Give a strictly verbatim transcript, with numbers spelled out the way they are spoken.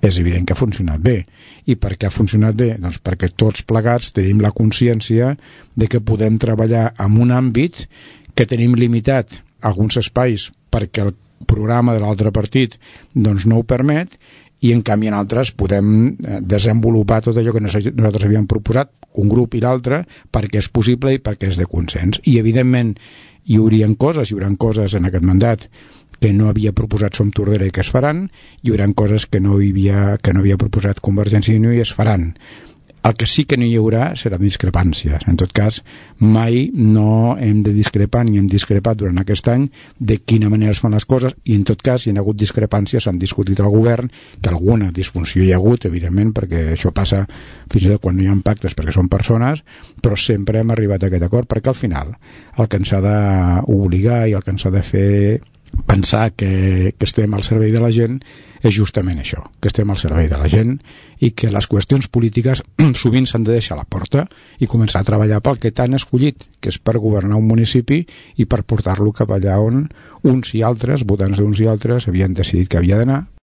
és evident que ha funcionat bé. I per què ha funcionat bé? Doncs perquè tots plegats tenim la consciència de que podem treballar en un àmbit que tenim limitat alguns espais perquè el programa de l'altre partit doncs no ho permet, i en canvi en altres podem desenvolupar tot allò que nosaltres havíem proposat, un grup i l'altre, perquè és possible i perquè és de consens. I evidentment hi haurien coses, hi haurà coses en aquest mandat que no havia proposat Som Tordera i que es faran, hi haurà coses que no, hi havia, que no havia proposat Convergència i Unió i es faran. El que sí que no hi haurà seran discrepàncies. En tot cas, mai no hem de discrepar ni hem discrepat durant aquest any de quina manera es fan les coses, i en tot cas, si hi ha hagut discrepàncies, s'han discutit al govern, que alguna disfunció hi ha hagut, evidentment, perquè això passa fins i tot quan no hi ha pactes, perquè són persones, però sempre hem arribat a aquest acord, perquè al final el que ens ha d'obligar i el que ens ha de fer pensar que, que estem al servei de la gent és justament això, que estem al servei de la gent i que les qüestions polítiques sovint s'han de deixar a la porta i començar a treballar pel que t'han escollit, que és per governar un municipi i per portar-lo cap allà on uns i altres, votants d'uns i altres, havien decidit que havia d'anar